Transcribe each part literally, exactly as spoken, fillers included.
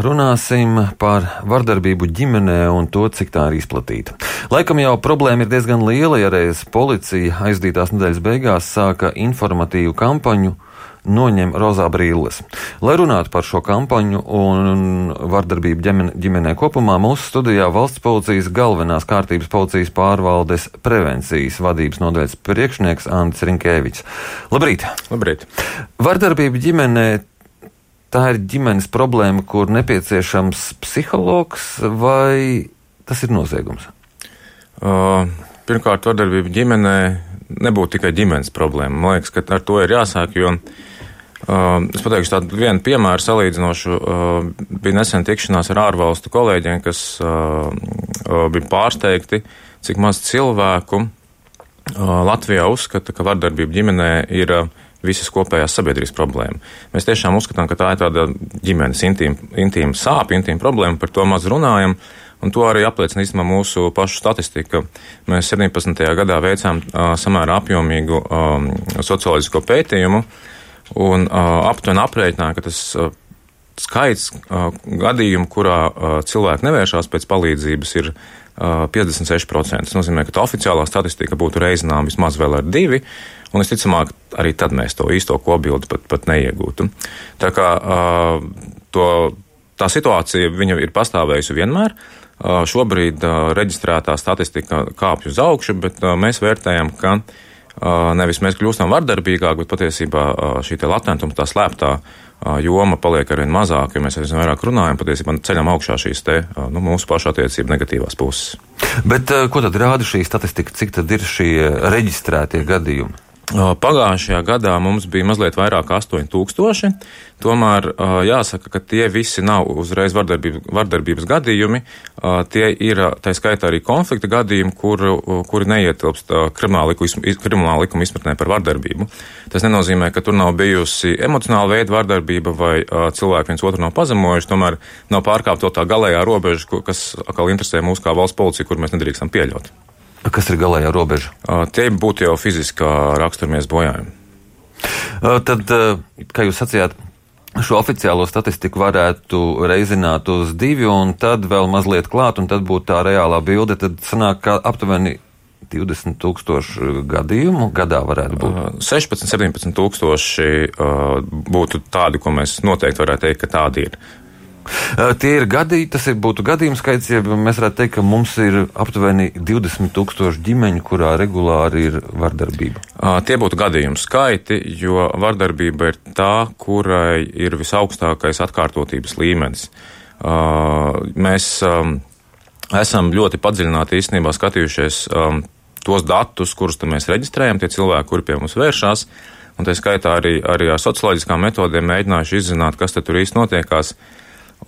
Runāsim par vardarbību ģimenē un to, cik tā ir izplatīta. Laikam jau problēma ir diezgan liela, ja reiz policija aizdītās nedēļas beigās sāka informatīvu kampaņu Noņem rozā brilles. Lai runātu par šo kampaņu un vardarbību ģimenē kopumā, mūsu studijā Valsts policijas galvenās kārtības policijas pārvaldes prevencijas vadības nodaļas priekšnieks Andris Rinkēvičs. Labrīt! Labrīt! Vardarbība ģimenē - tā ir ģimenes problēma, kur nepieciešams psihologs, vai tas ir noziegums? Uh, pirmkārt, vardarbība ģimenē nebūtu tikai ģimenes problēma. Man liekas, ka ar to ir jāsāk, jo uh, es pateikšu tādu vienu piemēru salīdzinošu. Uh, bija nesen tikšanās ar ārvalstu kolēģiem, kas uh, uh, bija pārsteigti, cik maz cilvēku uh, Latvijā uzskata, ka vardarbība ģimenē ir uh, visas kopējās sabiedrības problēma. Mēs tiešām uzskatām, ka tā ir tāda ģimenes intīma, intīma sāpja, intīma problēma, par to maz runājam, un to arī apliecina īstenībā mūsu pašu statistika. Mēs septiņpadsmitajā gadā veicām uh, samērā apjomīgu um, socioloģisko pētījumu, un uh, aptuveni aprēķināja, ka tas uh, skaits uh, gadījumu, kurā uh, cilvēki nevēršās pēc palīdzības, ir uh, piecdesmit seši procenti. Tas nozīmē, ka tā oficiālā statistika būtu reizinām vismaz vēl ar divi, un visticamāk, arī tad mēs to īsto kopbildi pat, pat neiegūtu. Tā kā uh, to, tā situācija viņa ir pastāvējusi vienmēr. Uh, šobrīd uh, reģistrētā statistika kāpj uz augšu, bet uh, mēs vērtējam, ka uh, nevis mēs kļūstam vardarbīgāk, bet patiesībā uh, šī te latentuma, tā slēptā uh, joma paliek arvien mazāk, jo mēs aizvien vairāk runājam, patiesībā ceļam augšā šīs te uh, nu, mūsu pašu attiecību negatīvās puses. Bet uh, ko tad rāda šī statistika? Cik tad ir šie reģistrētie gadījumi? Pagājušajā gadā mums bija mazliet vairāk astoņi tūkstoši, tomēr jāsaka, ka tie visi nav uzreiz vardarbības, vardarbības gadījumi, tie ir, tā skaitā arī konflikta gadījumi, kur, kuri neietilpst krimināla likuma izpratnē par vardarbību. Tas nenozīmē, ka tur nav bijusi emocionāla veida vardarbība vai cilvēki viens otru nav pazemojuši, tomēr nav pārkāpta to tā galējā robeža, kas atkal interesē mūs kā valsts policija, kur mēs nedrīkstam pieļaut. Kas ir galējā robeža? Uh, tie būtu jau fiziskā raksturamies bojājumi. Uh, tad, uh, kā jūs sacījāt, šo oficiālo statistiku varētu reizināt uz divi, un tad vēl mazliet klāt, un tad būtu tā reālā bilde, tad sanāk, ka aptuveni divdesmit tūkstoši gadījumu gadā varētu būt. Uh, sešpadsmit, septiņpadsmit tūkstoši uh, būtu tādi, ko mēs noteikti varētu teikt, ka tādi ir. Uh, tie ir gadījumi, tas ir, būtu gadījumu skaits, ja mēs varētu teikt, ka mums ir aptuveni divdesmit tūkstoši ģimeņu, kurā regulāri ir vardarbība. Uh, tie būtu gadījumu skaiti, jo vardarbība ir tā, kurai ir visaugstākais atkārtotības līmenis. Uh, mēs um, esam ļoti padziļināti īstenībā skatījušies um, tos datus, kurus mēs reģistrējam, tie cilvēki, kuri pie mums vēršās, un tā skaitā arī, arī ar socioloģiskām metodēm mēģinājuši izzināt, kas te tur īsti notiekās.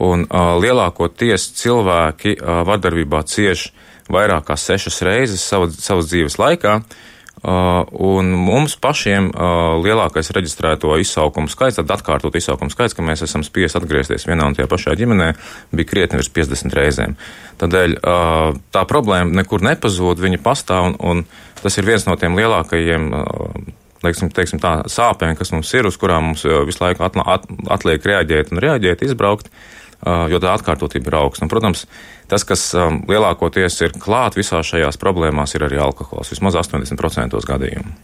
Un uh, lielākoties cilvēki uh, vardarbībā cieš vairāk kā sešas reizes savas, savas dzīves laikā, uh, un mums pašiem uh, lielākais reģistrēto izsaukumu skaits, tad atkārtot izsaukumu skaits, ka mēs esam spiest atgriezties vienā un tajā pašā ģimenē, bija krietni virs piecdesmit reizēm. Tādēļ uh, tā problēma nekur nepazūd, viņa pastāv, un, un tas ir viens no tiem lielākajiem uh, Teiksim, teiksim tā, sāpēm, kas mums ir, uz kurām mums visu laiku atla, at, atliek reaģēt un reaģēt, izbraukt, uh, jo tā atkārtotība ir augsta. Un, protams, tas, kas um, lielākoties ir klāt visās šajās problēmās, ir arī alkohols, vismaz astoņdesmit procenti gadījumu.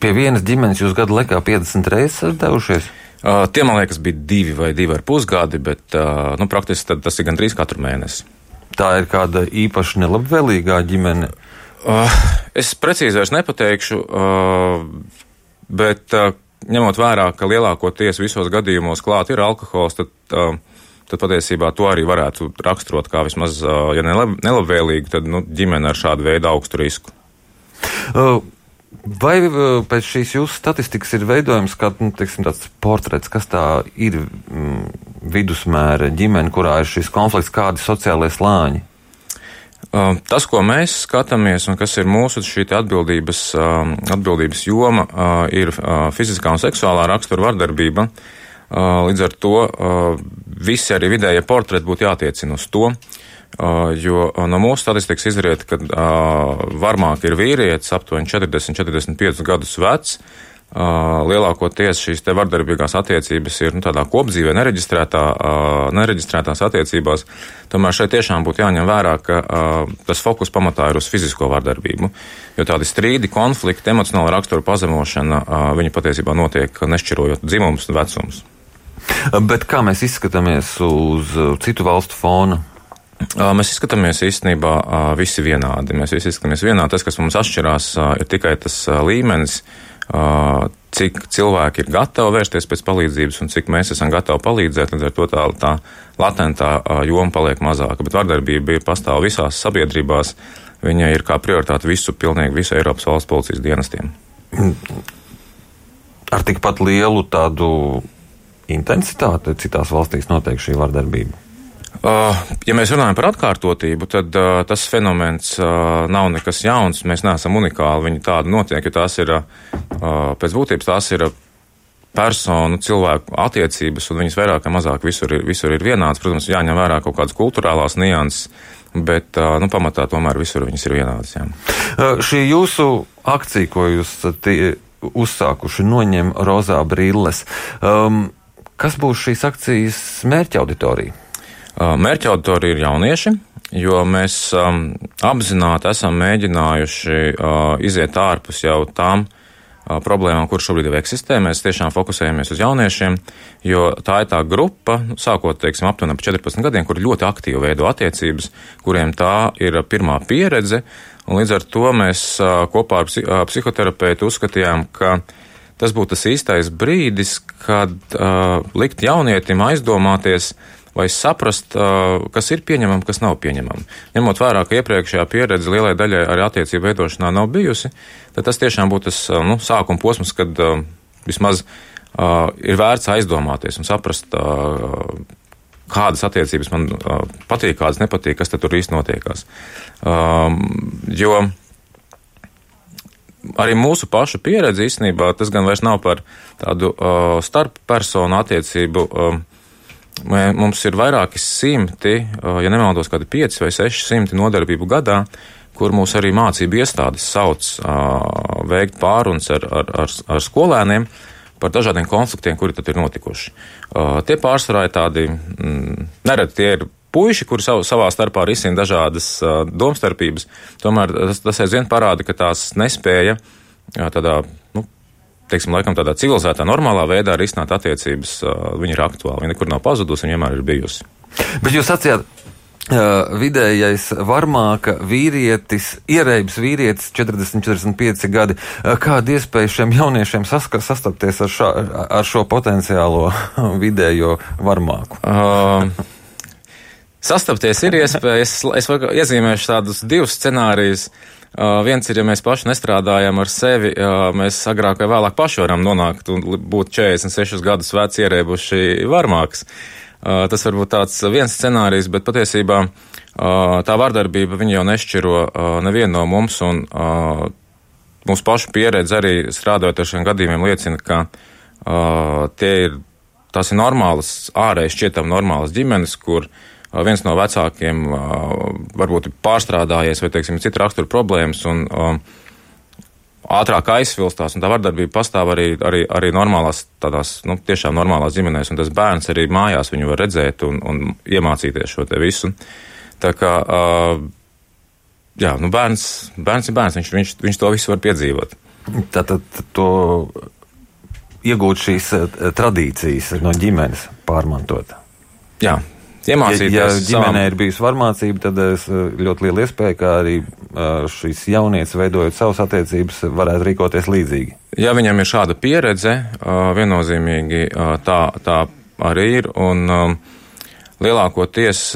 Pie vienas ģimenes jūs gadu laikā piecdesmit reizes esat devušies? Uh, tie, man liekas, bija divi vai divi ar pusgadi, bet uh, nu, praktiski tas ir gandrīz katru mēnesi. Tā ir kāda īpaši nelabvēlīgā ģimene? Uh, es precīzi vairs nepateikšu, uh, bet uh, ņemot vērā, ka lielākoties visos gadījumos klāt ir alkohols, tad, uh, tad patiesībā to arī varētu raksturot kā vismaz, uh, ja nelab, nelabvēlīgi, tad nu, ģimene ar šādu veidu augstu risku. Uh, vai uh, pēc šīs jūsu statistikas ir veidojums kā, nu, teiksim, tāds portrets, kas tā ir mm, vidusmēra ģimene, kurā ir šis konflikts, kādi sociālie slāņi? Tas, ko mēs skatāmies un kas ir mūsu šī atbildības, atbildības joma, ir fiziskā un seksuālā rakstura vardarbība. Līdz ar to visi arī vidējie portreti būtu jātiecina uz to, jo no mūsu statistikas izriet, ka varmāk ir vīrietis aptuveni četrdesmit četrdesmit piecus gadus vecs, lielākoties šīs te vardarbīgās attiecības ir nu, tādā kopdzīvē nereģistrētā, nereģistrētās attiecībās. Tomēr šeit tiešām būtu jāņem vērā, ka tas fokus pamatā ir uz fizisko vardarbību, jo tādi strīdi, konflikti, emocionāla rakstura pazemošana, viņi patiesībā notiek nešķirojot dzimumus un vecumus. Bet kā mēs izskatāmies uz citu valstu fona? Mēs izskatāmies īstenībā visi vienādi. Mēs visi izskatāmies vienādi. Tas, kas mums atšķirās, ir tikai tas līmenis, cik cilvēki ir gatavi vērsties pēc palīdzības un cik mēs esam gatavi palīdzēt, līdz ar to tā, tā latentā joma paliek mazāka. Bet vardarbība ir pastāv visās sabiedrībās, viņa ir kā prioritāte visu, pilnīgi visu Eiropas valsts policijas dienestiem. Ar tikpat lielu tādu intensitāti citās valstīs notiek šī vardarbība? Ja mēs runājam par atkārtotību, tad uh, tas fenomens uh, nav nekas jauns, mēs neesam unikāli, viņi tādi notiek, jo tās ir, uh, pēc būtības tās ir personu, cilvēku attiecības, un viņas vairāk vai mazāk visur ir, visur ir vienādas. Protams, jāņem vērā kaut kādas kulturālās nianses, bet uh, nu, pamatā tomēr visur viņas ir vienādas. Jā. Uh, šī jūsu akcija, ko jūs tie, uzsākuši, noņem rozā brilles, um, kas būs šīs akcijas mērķa auditorija? Mērķa auditorija ir jaunieši, jo mēs um, apzināti esam mēģinājuši uh, iziet ārpus jau tām uh, problēmām, kuras šobrīd jau eksistē. Mēs tiešām fokusējamies uz jauniešiem, jo tā ir tā grupa, sākot, teiksim, aptuveni ap četrpadsmit gadiem, kur ļoti aktīvi veido attiecības, kuriem tā ir pirmā pieredze, un līdz ar to mēs uh, kopā ar psi- psihoterapeitu uzskatījām, ka tas būtu tas īstais brīdis, kad uh, likt jaunietim aizdomāties, vai saprast, kas ir pieņemami, kas nav pieņemami. Ņemot vērā, ka iepriekšējā pieredze lielai daļai arī attiecību veidošanā nav bijusi, tad tas tiešām būtu tas nu, sākuma posms, kad uh, vismaz uh, ir vērts aizdomāties un saprast, uh, kādas attiecības man uh, patīk, kādas nepatīk, kas tad tur īsti notiekās. Uh, jo arī mūsu pašu pieredze īstenībā tas gan vairs nav par tādu uh, starp personu attiecību. Uh, Mums ir vairāki simti, ja nemaldos, kādi pieci vai seši simti nodarbību gadā, kur mūs arī mācību iestādes sauc veikt pārunas ar, ar, ar, ar skolēniem par dažādiem konfliktiem, kuri tad ir notikuši. Tie pārsvarā ir tādi, nereti tie ir puiši, kuri sav, savā starpā risina dažādas domstarpības, tomēr tas, tas aizvien parāda, ka tās nespēja tādā, nu, teiksim, laikam tādā civilizētā, normālā veidā risināt attiecības, viņa ir aktuāla. Viņa nekur nav pazudusi, viņa vienmēr ir bijusi. Bet jūs sacījāt, uh, vidējais varmāka vīrietis, ierēbis vīrietis, četrdesmit, četrdesmit pieci gadi. Uh, kāda iespēja šiem jauniešiem saska, sastapties ar, šā, ar šo potenciālo vidējo varmāku? Uh, sastapties ir iespēja. Es, es iezīmēšu tādus divus scenārijus. Uh, viens ir, ja mēs paši nestrādājam ar sevi, uh, mēs agrāk vai vēlāk paši varam nonākt un būt četrdesmit sešus gadus veci ierēbuši varmāks. Uh, tas var būt tāds viens scenārijs, bet patiesībā uh, tā vardarbība viņa jau nešķiro uh, nevienu no mums, un uh, mūsu pašu pieredze arī strādājot ar šiem gadījumiem liecina, ka uh, tie ir, tās ir normālas, ārēji šķietam normālas ģimenes, kur viens no vecākiem varbūt ir pārstrādājies vai, teiksim, cita rakstura problēmas un um, ātrāk aizsvilstās, un tā vardarbība pastāv arī, arī, arī normālās, tādās, nu, tiešām normālās ģimenēs, un tas bērns arī mājās viņu var redzēt un, un iemācīties šo te visu. Tā kā, uh, jā, nu, bērns, bērns ir bērns, viņš, viņš, viņš to visu var piedzīvot. Tātad to iegūt šīs tradīcijas no ģimenes pārmantot. Jā. Iemācīties. Ja, ja ģimenē savam... ir bijusi varmācība, tad es ļoti liela iespēja, ka arī šīs jaunietis, veidojot savas attiecības, varētu rīkoties līdzīgi. Ja viņam ir šāda pieredze, viennozīmīgi tā, tā arī ir, un lielākoties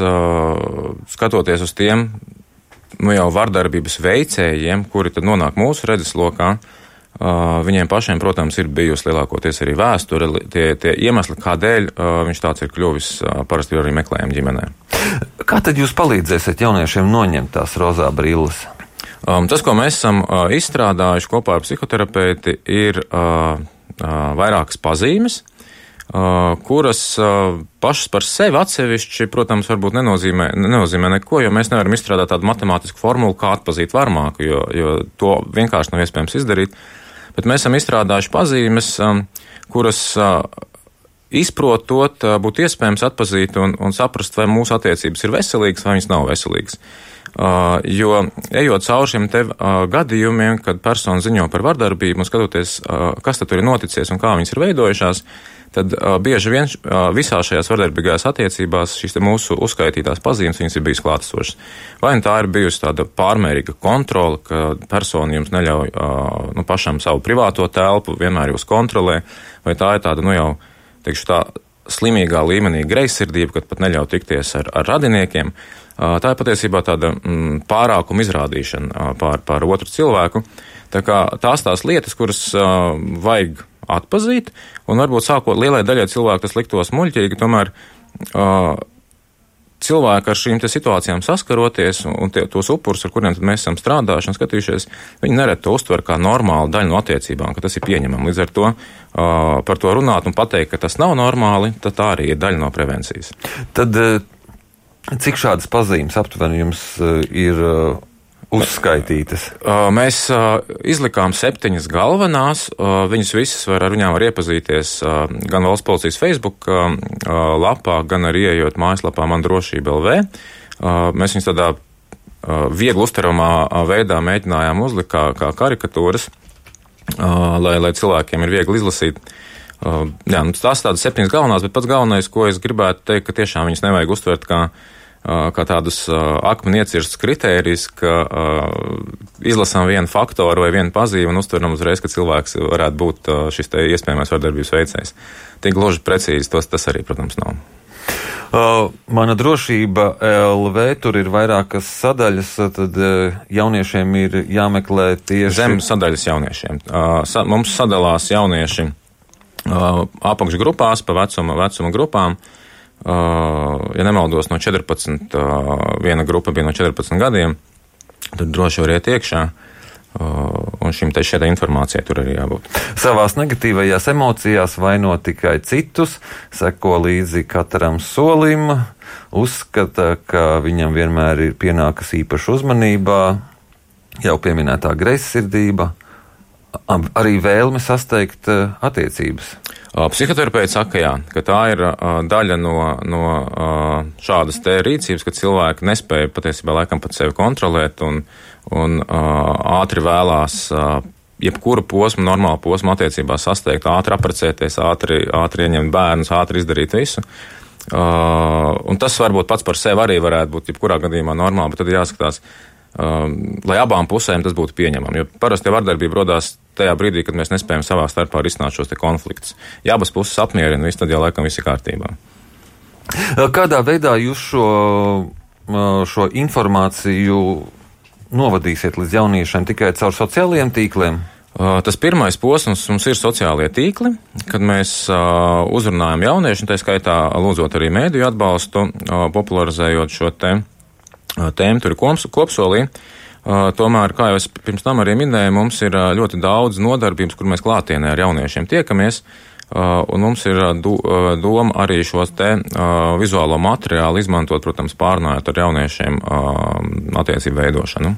skatoties uz tiem, nu jau vardarbības veicējiem, kuri tad nonāk mūsu redzeslokā, Uh, viņiem pašiem, protams, ir bijusi lielākoties arī vēsture, tie, tie iemesli, kādēļ uh, viņš tāds ir kļuvis, uh, parasti ir arī meklējumi ģimenē. Kā tad jūs palīdzēsiet jauniešiem noņemt tās rozā brilles? Um, tas, ko mēs esam uh, izstrādājuši kopā ar psihoterapeiti, ir uh, uh, vairākas pazīmes, uh, kuras uh, pašas par sevi atsevišķi, protams, varbūt nenozīmē, nenozīmē neko, jo mēs nevaram izstrādāt tādu matemātisku formulu, kā atpazīt varmāku, jo, jo to vienkārši nav iespējams izdarīt. bet mēs esam izstrādājuši pazīmes, kuras izprotot, būtu iespējams atpazīt un, un saprast, vai mūsu attiecības ir veselīgas vai viņas nav veselīgas. Uh, jo ejot cauri šiem te uh, gadījumiem, kad persona ziņo par vardarbību un skatoties, uh, kas tad tur ir noticies un kā viņas ir veidojušās, tad uh, bieži vien uh, visās šajās vardarbīgās attiecībās šīs te mūsu uzskaitītās pazīmes, viņas ir bijusi klātesošas. Vai tā ir bijusi tāda pārmērīga kontrola, ka persona jums neļauj uh, nu, pašam savu privāto telpu, vienmēr jūs kontrolē, vai tā ir tāda, nu jau, teikšu tā, slimīgā līmenī greizsirdība, kad pat neļauj tikties ar, ar radiniekiem. Tā ir patiesībā tāda mm, pārākuma izrādīšana pār, pār otru cilvēku. Tā kā tās tās lietas, kuras uh, vajag atpazīt, un varbūt sākot lielai daļai cilvēku tas liktos muļķīgi, tomēr uh, cilvēki ar šīm te situācijām saskaroties, un tie, tos upurus, ar kuriem tad mēs esam strādājuši un skatījušies, viņi nereti to uztver kā normālu daļu no attiecībām, ka tas ir pieņemami. Līdz ar to uh, par to runāt un pateikt, ka tas nav normāli, tad tā arī ir daļa no prevencijas. Tad, uh... Cik šādas pazīmes aptuveni jums uh, ir uh, uzskaitītas? Uh, mēs uh, izlikām septiņas galvenās. Uh, viņas visas var, ar viņām var iepazīties uh, gan valsts policijas Facebook uh, lapā, gan arī ieejot mājaslapā Man drošība L V. Uh, mēs viņas tādā uh, viegli uztveramā veidā mēģinājām uzlikt kā, kā karikatūras, uh, lai, lai cilvēkiem ir viegli izlasīt. Uh, jā, nu, tās tādas septiņas galvenās, bet pats galvenais, ko es gribētu teikt, ka tiešām viņas nevajag uztvert kā kā tādus uh, akmeni iecirstus kritērijus, ka uh, izlasām vienu faktoru vai vienu pazīmi un uztveram uzreiz, ka cilvēks varētu būt uh, šis te iespējamais vardarbības veicējs. Tik gluži precīzi tos tas arī, protams, nav. Uh, mana drošība L V, tur ir vairākas sadaļas, tad uh, jauniešiem ir jāmeklē tieši... Zem sadaļas jauniešiem. Uh, sa, mums sadalās jaunieši uh, apakšgrupās pa vecuma, vecuma grupām. Uh, ja nemaldos, no četrpadsmit, uh, viena grupa bija no četrpadsmit gadiem, tad droši var iet iekšā, uh, un šim te šeit informācijai tur arī jābūt. Savās negatīvajās emocijās vaino tikai citus, seko līdzi katram solim, uzskata, ka viņam vienmēr ir pienākas īpaša uzmanībā, jau pieminētā greizsirdība, arī vēlme sasteigt attiecības. Psihoterapeits saka, jā, ka tā ir uh, daļa no, no uh, šādas te rīcības, ka cilvēki nespēja patiesībā laikam pat sevi kontrolēt un, un uh, ātri vēlās uh, jebkuru posmu, normālu posmu attiecībās sasteigt, ātri apprecēties, ātri, ātri ieņemt bērnus, ātri izdarīt visu. Uh, un tas varbūt pats par sevi arī varētu būt jebkurā gadījumā normāli, bet tad jāskatās, uh, lai abām pusēm tas būtu pieņemami, jo parasti vardarbība rodās tajā brīdī, kad mēs nespējam savā starpā risināt šos te konfliktus. Ja abas puses apmierina, viss tad jau laikam viss ir kārtībā. Kādā veidā jūs šo, šo informāciju novadīsiet līdz jauniešiem tikai caur sociālajiem tīkliem? Tas pirmais posms mums ir sociālie tīkli, kad mēs uzrunājam jauniešu, tā skaitā lūdzot arī mēdīju atbalstu, popularizējot šo te tēmu, tur ir kopsolī. Uh, tomēr, kā jau es pirms tam arī minēju, mums ir uh, ļoti daudz nodarbības, kur mēs klātienē ar jauniešiem tiekamies, uh, un mums ir uh, do, uh, doma arī šos te uh, vizuālo materiālu izmantot, protams, pārnājot ar jauniešiem uh, attiecību veidošanu.